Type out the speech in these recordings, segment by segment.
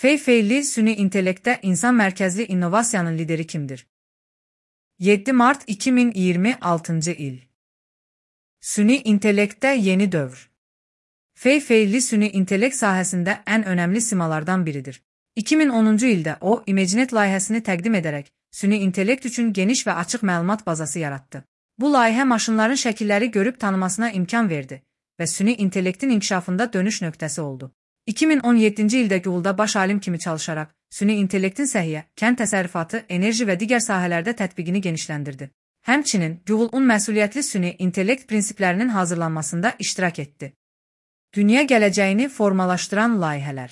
Fei Li süni intellekte insan merkezli innovasiyanın lideri kimdir? 7 Mart 2026 il. Süni intellekte yeni dövr. Fei Li süni intellekt sahəsində ən önəmli simalardan biridir. 2010-cu ildə o, ImageNet layihəsini təqdim edərək, süni intellekt üçün geniş və açıq məlumat bazası yarattı. Bu layihə maşınların şəkilləri görüb tanımasına imkan verdi və süni intellektin inkişafında dönüş nöqtəsi oldu. 2017-ci ildə Google'da baş alim kimi çalışaraq, süni intellektin səhiyyə, kənd təsərrüfatı, enerji və digər sahələrdə tətbiqini genişləndirdi. Həmçinin, Google-un məsuliyyətli süni intellekt prinsiplərinin hazırlanmasında iştirak etdi. Dünya gələcəyini formalaşdıran layihələr.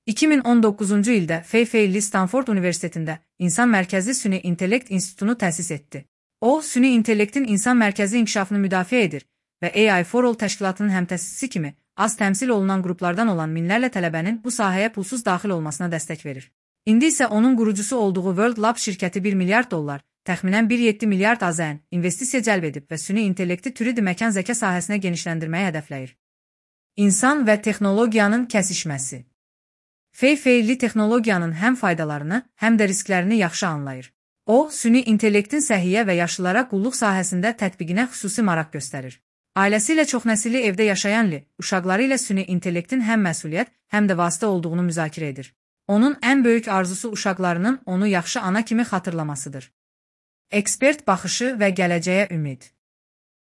2019-cu ildə Fei Li Stanford Universitetində İnsan Mərkəzli Süni İntellekt İnstitutunu təsis etdi. O, süni intellektin insan mərkəzli inkişafını müdafiə edir və AI for All təşkilatının həmtəsisçisi kimi az təmsil olunan qruplardan olan minlərlə tələbənin bu sahəyə pulsuz daxil olmasına dəstək verir. İndi isə onun qurucusu olduğu World Lab şirkəti $1 milyard, təxminən 1,7 milyard AZN investisiya cəlb edib və süni intellekti türüdü məkan zəka sahəsinə genişləndirməyi hədəfləyir. İnsan və texnologiyanın kəsişməsi. Fei Li texnologiyanın həm faydalarını, həm də risklərini yaxşı anlayır. O, süni intellektin səhiyyə və yaşlılara qulluq sahəsində tətbiqinə xüsusi maraq göstərir. Ailəsi ilə çoxnəsilli evdə yaşayan Li, uşaqları ilə süni intellektin həm məsuliyyət, həm də vasitə olduğunu müzakirə edir. Onun ən böyük arzusu uşaqlarının onu yaxşı ana kimi xatırlamasıdır. Ekspert baxışı və gələcəyə ümid.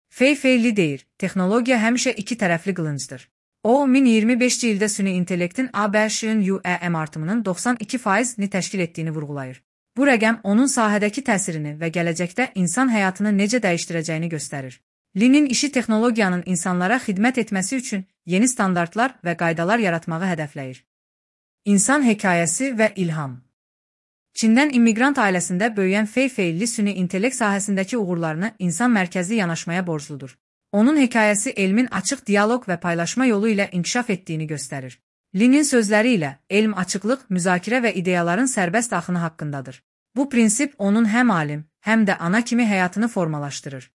Fei Li deyir, texnologiya həmişə iki tərəfli qılıncdır. O, 2025-ci ildə süni intellektin ABŞ-ın UEM artımının 92%-ni təşkil etdiyini vurğulayır. Bu rəqəm onun sahədəki təsirini və gələcəkdə insan həyatını necə dəyişdirəcəyini göstərir. Li'nin işi texnologiyanın insanlara xidmət etməsi üçün yeni standartlar və qaydalar yaratmağı hədəfləyir. İnsan hekayəsi və ilham. Çindən immiqrant ailəsində böyüyən Fei Li süni intellekt sahəsindəki uğurlarını insan mərkəzli yanaşmaya borcludur. Onun hekayəsi elmin açıq dialoq və paylaşma yolu ilə inkişaf etdiyini göstərir. Li'nin sözləri ilə elm açıqlıq, müzakirə və ideyaların sərbəst axını haqqındadır. Bu prinsip onun həm alim, həm də ana kimi həyatını formalaşdırır.